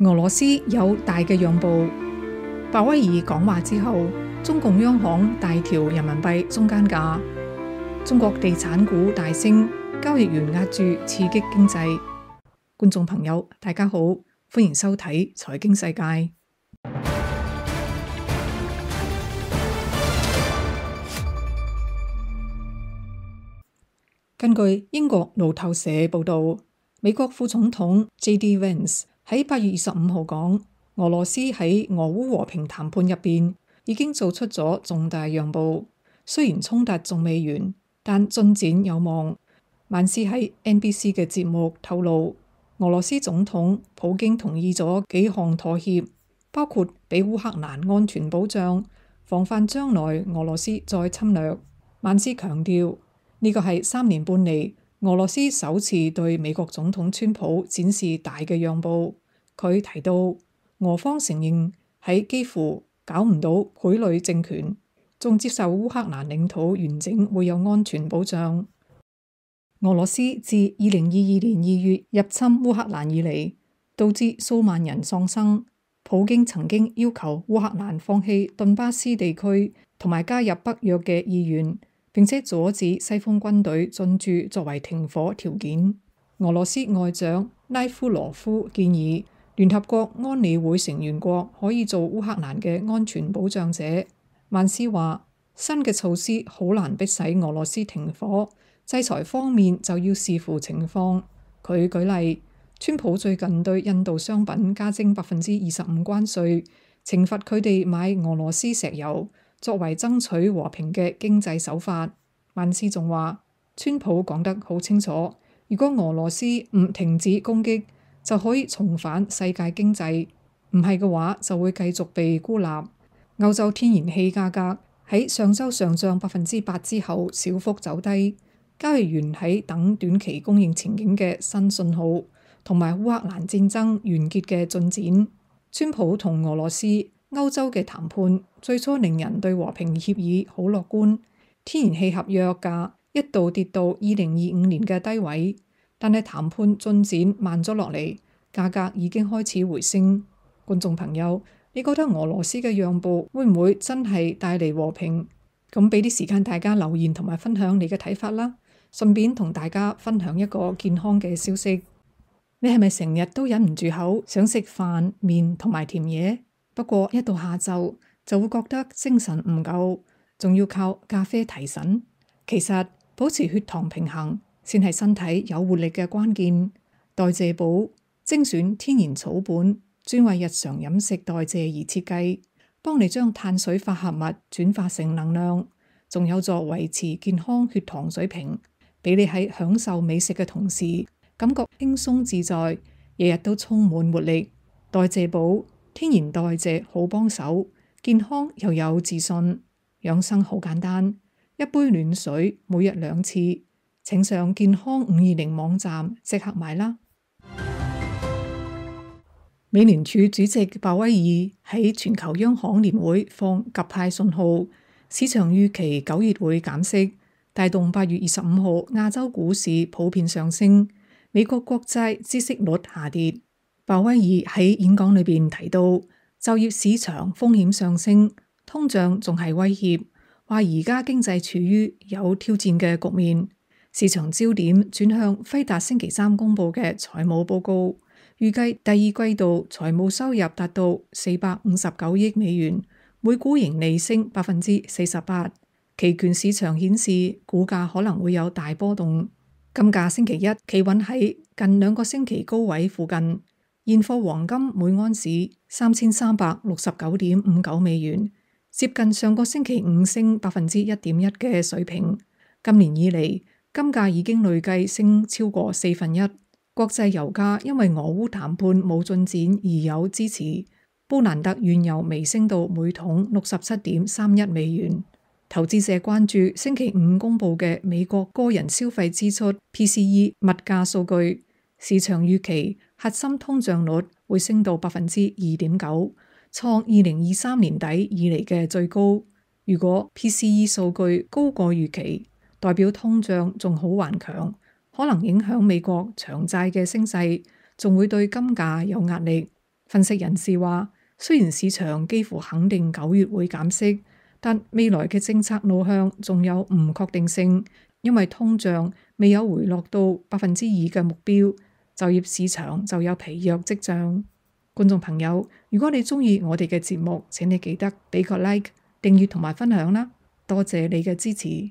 俄羅斯有大嘅讓步。鮑威爾講話之後，中共央行大調人民幣中間價，中國地產股大升，交易員押注刺激經濟。觀眾朋友，大家好，歡迎收睇財經世界。根據英國路透社報道，美國副總統 J.D. Vance 喺8月25號講，俄羅斯喺俄烏和平談判入邊已經做出咗重大讓步，雖然衝突仲未完，但進展有望。曼斯喺 NBC 嘅節目透露，俄羅斯總統普京同意咗幾項妥協，包括俾烏克蘭安全保障，防範將來俄羅斯再侵略。曼斯強調，呢個係3年半嚟俄羅斯首次對美國總統川普展示大嘅讓步。佢提到，俄方承認喺幾乎搞唔到傀儡政權，仲接受烏克蘭領土完整會有安全保障。俄羅斯自2022年2月入侵烏克蘭以嚟，導致數萬人喪生。普京曾經要求烏克蘭放棄頓巴斯地區同埋加入北約嘅意願，並且阻止西方軍隊進駐作為停火條件。俄羅斯外長拉夫羅夫建議聯合國安理會成員國可以做烏克蘭嘅安全保障者。曼斯話，新嘅措施好難迫使俄羅斯停火，制裁方面就要視乎情況。佢舉例，川普最近對印度商品加徵25%關稅，懲罰佢哋買俄羅斯石油，作為爭取和平嘅經濟手法。曼斯仲話，川普講得好清楚，如果俄羅斯唔停止攻擊，就可以重返世界經濟，唔係嘅話就會繼續被孤立。歐洲天然氣價格喺上週上漲8%之後小幅走低，交易員喺等短期供應前景嘅新信號同埋烏克蘭戰爭完結嘅進展。川普同俄羅斯、歐洲嘅談判最初令人對和平協議好樂觀，天然氣合約價一度跌到2025年嘅低位，但係談判進展慢咗落嚟，價格已經開始回升。觀眾朋友，你覺得俄羅斯嘅讓步會唔會真係帶嚟和平？咁俾啲時間大家留言同埋分享你嘅睇法啦。順便同大家分享一個健康嘅消息，你係咪成日都忍唔住口想食飯、麵同埋甜嘢？不過一到下晝就會覺得精神唔夠，仲要靠咖啡提神。其實保持血糖平衡先係身體有活力嘅關鍵。代謝寶精選天然草本，專為日常飲食代謝而設計，幫你將碳水化合物轉化成能量，仲有助維持健康血糖水平，俾你喺享受美食嘅同時感覺輕鬆自在，日日都充滿活力。代謝寶天然代謝好幫手，健康又有自信。養生好簡單，一杯暖水每日2次。請上健康520網站即刻買啦。美聯儲主席鮑威爾喺全球央行年會放鴿派信號，市場預期9月會減息，帶動8月25號亞洲股市普遍上升，美國國債孳息率下跌。鮑威爾喺演講裏邊提到，就業市場風險上升，通脹仲係威脅，話而家經濟處於有挑戰嘅局面。市場焦點轉向輝達星期3公佈嘅財務報告，預計第二季度財務收入達到459億美元，每股盈利升48%。期權市場顯示股價可能會有大波動。金價星期一企穩喺近2個星期高位附近，現貨黃金每盎司3369.59美元，接近上個星期五升1.1%嘅水平。今年以嚟，金價已經累計升超過1/4。國際油價因為俄烏談判冇進展而有支持，布蘭特原油微升到每桶67.31美元。投資者關注星期五公佈嘅美國個人消費支出 PCE 物價數據，市場預期核心通脹率會升到2.9%，創2023年底以嚟嘅最高。如果 PCE 數據高過預期，代表通脹仲好頑強，可能影響美國長債嘅升勢，仲會對金價有壓力。分析人士話，雖然市場幾乎肯定9月會減息，但未來嘅政策路向仲有唔確定性，因為通脹未有回落到2%嘅目標，就業市場就有疲弱跡象。觀眾朋友，如果你鍾意我哋嘅節目，請你記得俾個 like、訂閱同埋分享啦，多謝你嘅支持。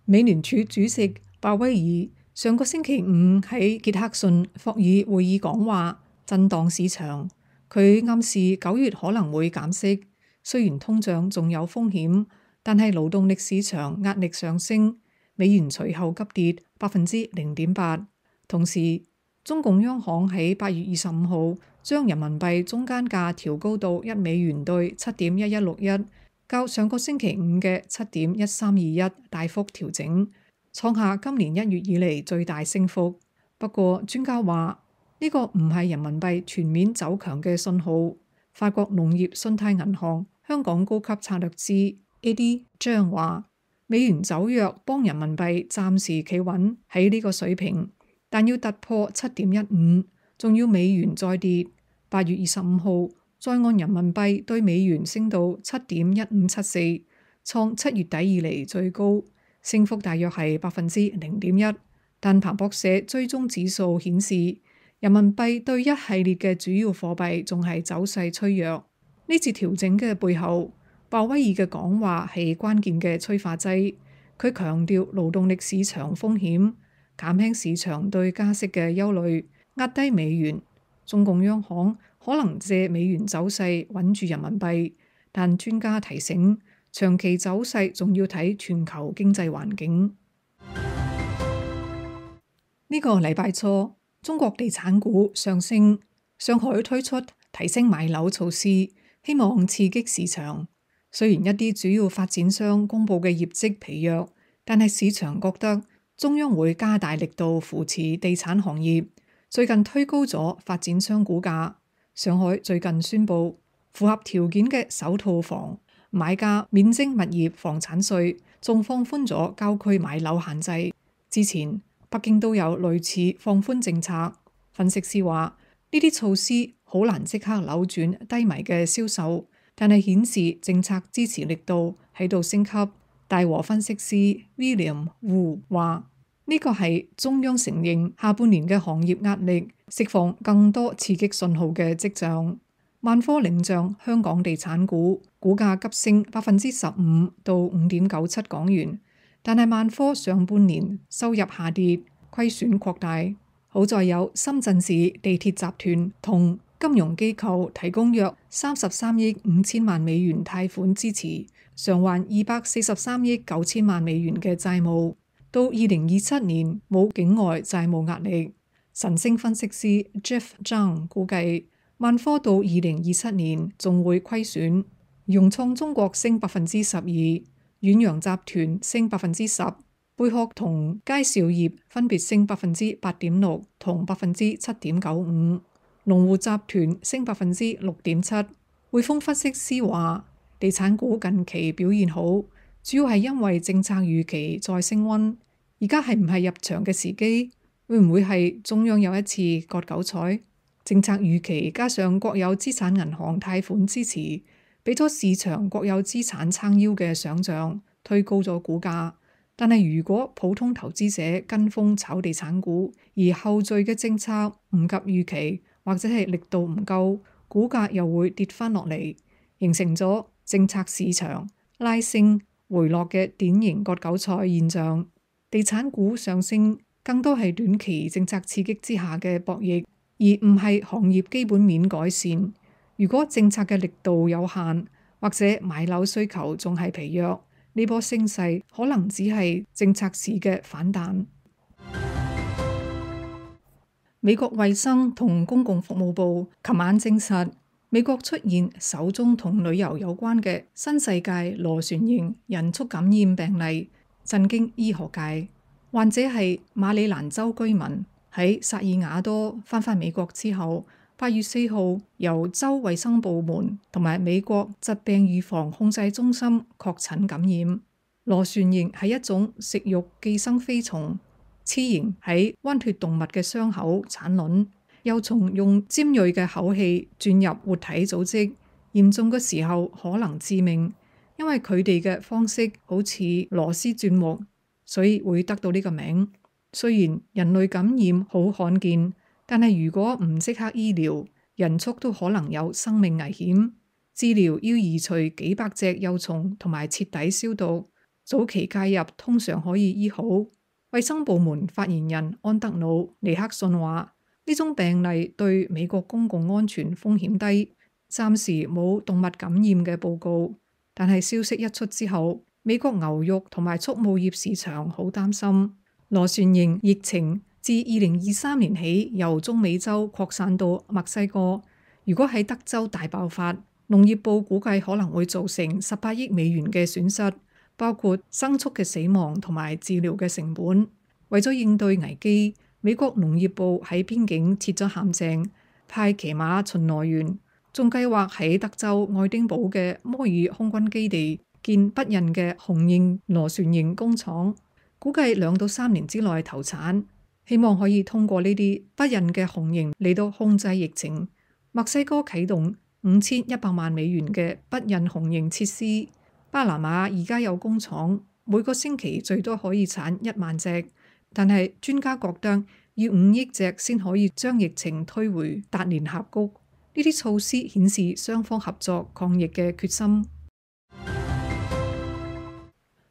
美聯儲主席鮑威爾上個星期五喺傑克遜霍爾會議講話，震盪市場。佢暗示9月可能會減息，雖然通脹仲有風險，但係勞動力市場壓力上升，美元隨後急跌0.8%。同時，中共央行喺8月25號將人民幣中間價調高到1美元兌7.1161，較上個星期五嘅7.1321大幅調整，創下今年1月以嚟最大升幅。不過專家話呢個唔係人民幣全面走強嘅信號。法國農業信貸銀行香港高級策略師 A.D. 張話，美元走弱幫人民幣暫時企穩喺呢個水平，但要突破7.15，仲要美元再跌。8月25號再按人民幣對美元升到7.1574，創7月底以嚟最高，升幅大約係0.1%。但彭博社追蹤指數顯示，人民幣對一系列嘅主要貨幣仲係走勢趨弱。呢次調整嘅背後，鮑威爾嘅講話係關鍵嘅催化劑。佢強調勞動力市場風險，減輕市場對加息嘅憂慮，壓低美元。中共央行可能借美元走勢穩住人民幣，但專家提醒，長期走勢仲要睇全球經濟環境。呢個禮拜初，中國地產股上升，上海推出提升買樓措施，希望刺激市場。雖然一啲主要發展商公布嘅業績疲弱，但係市場覺得中央會加大力度扶持地產行業，最近推高咗發展商股價。上海最近宣布，符合條件嘅首套房買家免徵物業房產稅，仲放寬咗郊區買樓限制。之前北京都有類似放寬政策。分析師話，呢啲措施好難即刻扭轉低迷嘅銷售，但係顯示政策支持力度喺度升級。大和分析師 William Wu 話，呢個係中央承認下半年嘅行業壓力，釋放更多刺激信號嘅跡象。萬科領漲香港地產股，股價急升15%到5.97港元。但係萬科上半年收入下跌，虧損擴大。好在有深圳市地鐵集團同金融機構提供約33億5千萬美元貸款支持，償還243億9千萬美元嘅債務。到2027年冇境外債務壓力。晨星分析師 Jeff Zhang 估計，萬科到2027年仲會虧損。融創中國升12%。遠洋集團升10%，貝殼同佳兆業分別升8.6%同7.95%，龍湖集團升6.7%。匯豐分析師話，地產股近期表現好，主要係因為政策預期再升溫。而家係唔係入場嘅時機？會唔會係中央有一次割韭菜？政策預期加上國有資產銀行貸款支持，俾咗市場國有資產撐腰嘅想像，推高咗股價。但係如果普通投資者跟風炒地產股，而後續嘅政策唔及預期，或者係力度唔夠，股價又會跌翻落嚟，形成咗政策市場拉升回落嘅典型割韭菜現象。地產股上升更多係短期政策刺激之下嘅博弈，而唔係行業基本面改善。如果政策嘅力度有限，或者買樓需求仲係疲弱，呢波升勢可能只係政策市嘅反彈。美國衛生同公共服務部琴晚證實，美國出現首宗同旅遊有關嘅新世界螺旋型人畜感染病例，震驚醫學界。患者係馬里蘭州居民，喺薩爾瓦多返美國之後，8月4號由州衛生部門同埋美國疾病預防控制中心確診感染。螺旋形係一種食肉寄生飛蟲，雌型喺溫血動物嘅傷口產卵，幼蟲用尖銳嘅口器鑽入活體組織，嚴重嘅時候可能致命。因為佢哋嘅方式好似螺絲鑽木，所以會得到呢個名。雖然人類感染好罕見，但係如果唔即刻醫療，人畜都可能有生命危險。治療要移除幾百隻幼蟲同埋徹底消毒，早期介入通常可以醫好。衛生部門發言人安德魯尼克遜話：呢種病例對美國公共安全風險低，暫時冇動物感染嘅報告。但係消息一出之後，美國牛肉同埋畜牧業市場好擔心。螺旋形疫情自2023年起由中美洲擴散到墨西哥，如果喺德州大爆發，農業部估計可能會造成18億美元嘅損失，包括牲畜嘅死亡同埋治療嘅成本。為咗應對危機，美國農業部喺邊境設咗陷阱，派騎馬巡邏員，仲計劃喺德州愛丁堡嘅摩爾空軍基地建不孕嘅雄型螺旋形工廠，估計2到3年之內投產，希望可以通過呢啲不孕嘅雄型嚟到控制疫情。墨西哥啟動5100萬美元嘅不孕雄型設施。巴拿馬而家有工廠，每個星期最多可以產1萬隻，但係專家覺得要5億隻先可以將疫情推回達連峽谷。呢啲措施顯示雙方合作抗疫嘅決心。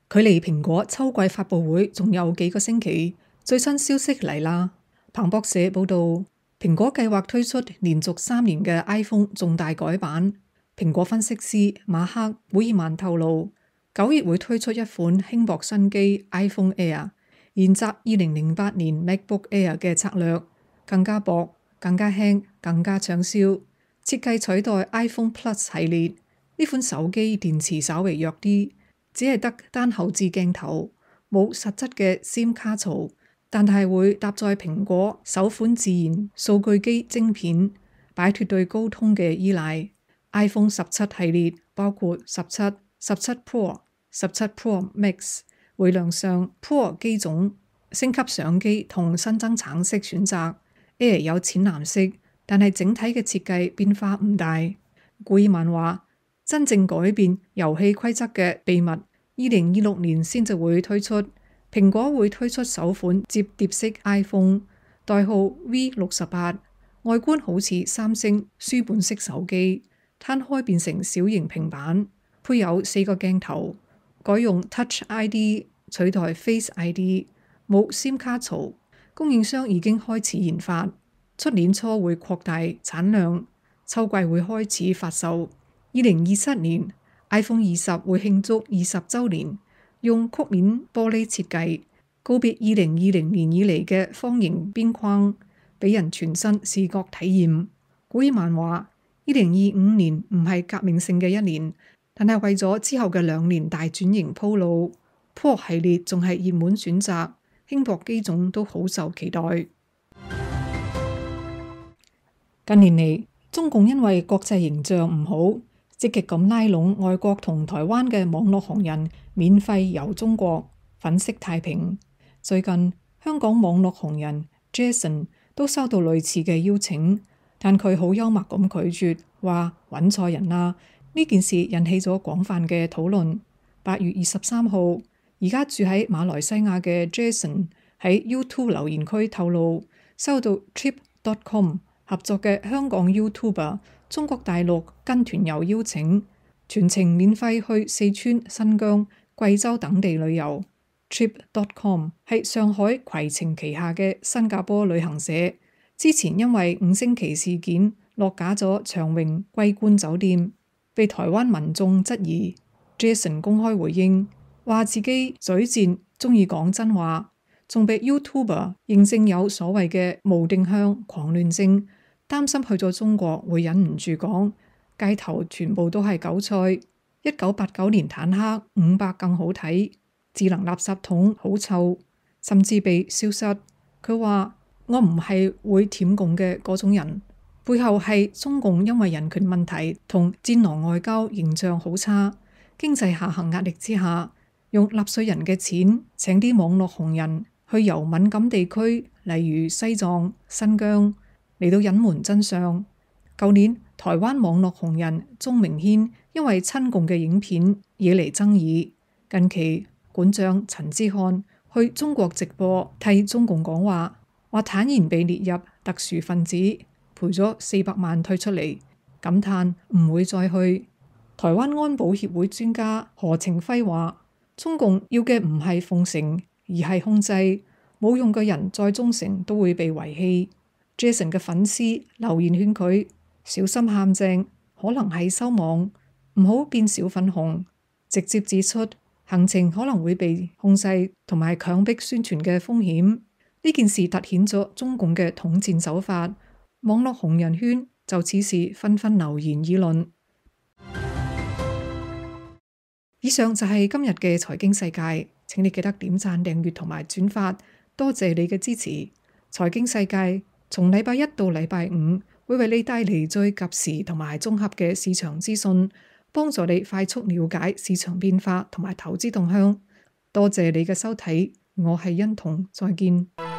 距離蘋果秋季發佈會仲有幾個星期，最新消息嚟啦。彭博社報道，蘋果計劃推出連續3年嘅 iPhone 重大改版。蘋果分析師馬克·古爾曼透露，9月會推出一款輕薄新機 iPhone Air，沿襲2008年 MacBook Air 嘅策略，更加薄、更加輕、更加暢銷。設計取代 iPhone Plus 系列。呢款手機電池稍微弱啲，只係得單後置鏡頭，冇實質嘅 SIM 卡槽，但係會搭載蘋果首款自然數據機晶片，擺脫對高通嘅依賴。iPhone 17系列包括17、17 Pro、17 Pro Max 會亮相 Pro 機種，升級相機同新增橙色選擇。Air 有淺藍色，但係整體嘅設計變化唔大。古爾曼話：真正改變遊戲規則嘅秘密，2026年先至會推出。蘋果會推出首款摺疊式 iPhone，代號 V68，外觀好似三星書本式手機，攤開變成小型平板，配有4個鏡頭，改用 Touch ID 取代 Face ID， 冇 SIM 卡槽。供應商已經開始研發，出年初會擴大產量，秋季會開始發售。2027年 iPhone 20會慶祝20週年，用曲面玻璃設計，告別2020年以嚟嘅方形邊框，俾人全新視覺體驗。古爾曼話：2025年唔係革命性嘅一年，但係為咗之後嘅2年大轉型鋪路。Pro 系列仲係熱門選擇，輕薄機種都好受期待。近年嚟，中共因為國際形象唔好，積極咁拉攏外國同台灣嘅網絡紅人免費遊中國，粉飾太平。最近香港網絡紅人 Jason 都收到類似嘅邀請，但佢好幽默咁拒絕，話揾錯人啦。呢件事引起咗廣泛嘅討論。8月23號，而家住喺馬來西亞嘅 Jason 喺 YouTube 留言區透露，收到 Trip.com 合作嘅香港 YouTuber 中國大陸跟團遊邀請，全程免費去四川、新疆、貴州等地旅遊。Trip.com 係上海攜程旗下嘅新加坡旅行社，之前因為5星旗事件落架咗長榮桂冠酒店，被台灣民眾質疑。Jason 公開回應，話自己嘴賤，中意講真話，仲被 YouTuber 認證有所謂嘅無定向狂亂症，擔心去咗中國會忍唔住講街頭全部都係韭菜，1989年坦克500更好睇，智能垃圾桶好臭，甚至被消失。佢話我唔係會舔共嘅嗰種人，背後係中共因為人權問題同戰狼外交形象好差，經濟下行壓力之下，用納稅人嘅錢請啲網絡紅人去遊敏感地區，例如西藏、新疆。嚟到隱瞞真相。舊年台灣網絡紅人鍾明軒因為親共嘅影片惹嚟爭議，近期館長陳之漢去中國直播替中共講話，話坦言被列入特殊分子，賠咗400萬退出嚟，感嘆唔會再去。台灣安保協會專家何程輝話，中共要嘅唔係奉承，而係控制，冇用嘅人再忠誠都會被遺棄。Jason 嘅粉絲留言勸佢小心陷阱，可能係收網，唔好變小粉紅，直接指出行程可能會被控制同埋強迫宣傳嘅風險。呢件事凸顯咗中共嘅統戰手法，網絡紅人圈就此事紛紛留言議論。以上就係今日嘅財經世界，請你記得點讚、訂閱同埋轉發，多謝你嘅支持。財經世界從禮拜一到禮拜五會為你帶嚟最及時同埋綜合嘅市場資訊，幫助你快速了解市場變化同埋投資動向。多謝你嘅收睇，我係欣彤，再見。